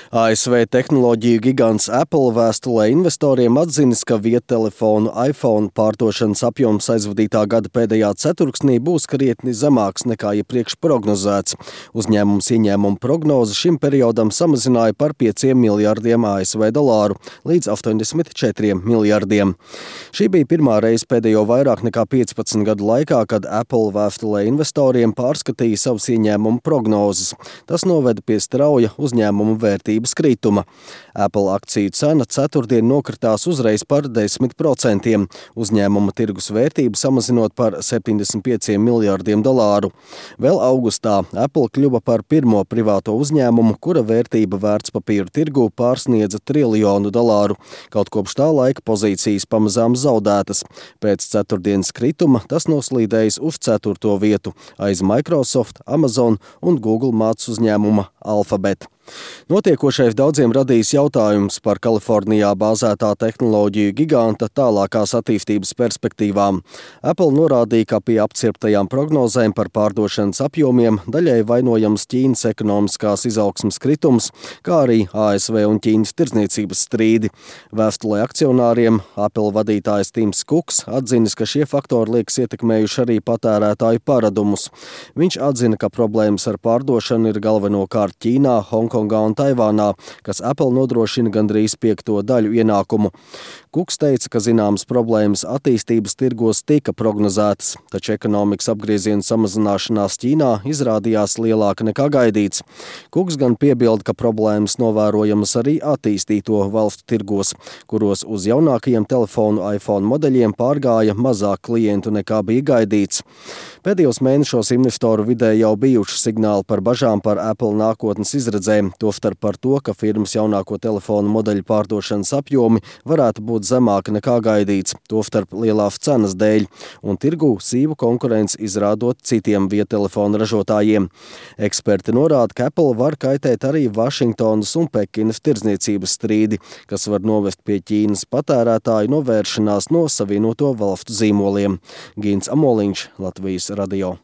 ASV tehnoloģiju gigants Apple vēstulē investoriem atzinis, ka viedtelefonu iPhone pārdošanas apjoms aizvadītā gada pēdējā ceturksnī būs krietni zemāks nekā iepriekš prognozēts. Uzņēmums ieņēmumu prognozi šim periodam samazināja par 5 miljardiem ASV dolāru līdz 84 miljardiem. Šī bija pirmā reize pēdējo vairāk nekā 15 gadu laikā, kad Apple vēstulē investoriem pārskatīja savus ieņēmumu prognozes. Tas noveda pie strauja uzņēmumu vērtības krituma. Apple akciju cena ceturtdien nokritās uzreiz par 10%, uzņēmuma tirgus vērtību samazinot par 75 miljardiem dolāru. Vēl augustā Apple kļuva par pirmo privāto uzņēmumu, kura vērtība vērtspapīru tirgū pārsniedza $1 triljonu. Kaut kopš tā laika pozīcijas pamazām zaudētas. Pēc ceturtdienas krituma tas noslīdējis uz 4. vietu aiz Microsoft, Amazon un Google mātes uzņēmuma Alphabet. Notiekošais daudziem radīs jautājums par Kalifornijā bāzētā tehnoloģiju giganta tālākās attīstības perspektīvām. Apple norādīja, ka pie apcirptajām prognozēm par pārdošanas apjomiem daļai vainojams Ķīnas ekonomiskās izaugsmes kritums, kā arī ASV un Ķīnas tirdzniecības strīdi. Vēstulē akcionāriem Apple vadītājs Tims Kuks atzinis, ka šie faktori liekas ietekmējuši arī patērētāju paradumus. Viņš atzina, ka problēmas ar pārdošanu ir galvenokārt Ķīnā, Hongkongā un Taivānā, kas Apple nodrošina gandrīz 5. daļu ienākumu. Kuks teica, ka zināmas problēmas attīstības tirgos tika prognozētas, taču ekonomikas apgrieziena samazināšanās Ķīnā izrādījās lielāka nekā gaidīts. Kuks gan piebilda, ka problēmas novērojamas arī attīstīto valstu tirgos, kuros uz jaunākajiem telefonu iPhone modeļiem pārgāja mazāk klientu nekā bija gaidīts. Pēdējos mēnešos investoru vidē jau bijuši signāli par bažām par Apple nākotnes izredzēm, tostarp par to, ka firmas jaunāko telefonu modeļu pārdošanas apjomi varētu būt zemāki nekā gaidīts, tostarp lielās cenas dēļ, un tirgū sīvu konkurenci izrādot citiem viedtelefonu ražotājiem. Eksperti norāda, ka Apple var kaitēt arī Vašingtonas un Pekinas tirdzniecības strīdi, kas var novest pie Ķīnas patērētāju novēršanās no Savienoto valstu zīmoliem. Gins Amoliņš, Latvijas radio.